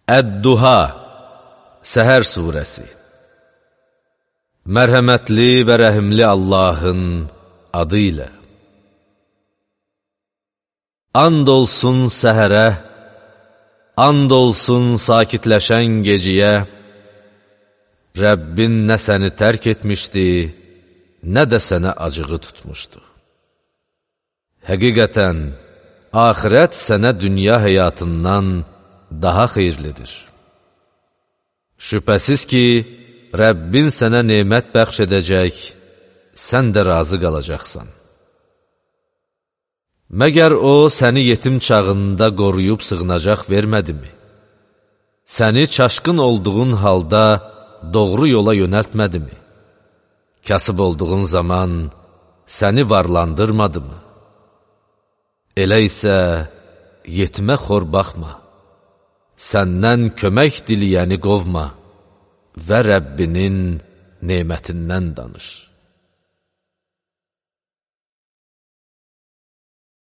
Əd-Duha, Səhər surəsi. Mərhəmətli və rəhimli Allahın adı ilə. And olsun səhərə, and olsun sakitləşən geciyə, Rəbbin nə səni tərk etmişdi, nə də sənə acığı tutmuşdu. Həqiqətən, axirət sənə dünya həyatından daha xeyirlidir. Şübhəsiz ki, Rəbbin sənə nemət bəxş edəcək, sən də razı qalacaqsan. Məgər o, səni yetim çağında qoruyub sığınacaq vermədimi? Səni çaşqın olduğun halda doğru yola yönəltmədimi? Kasıb olduğun zaman səni varlandırmadımı? Elə isə yetimə xor baxma, səndən kömək diliyəni qovma və Rəbbinin nemətindən danış.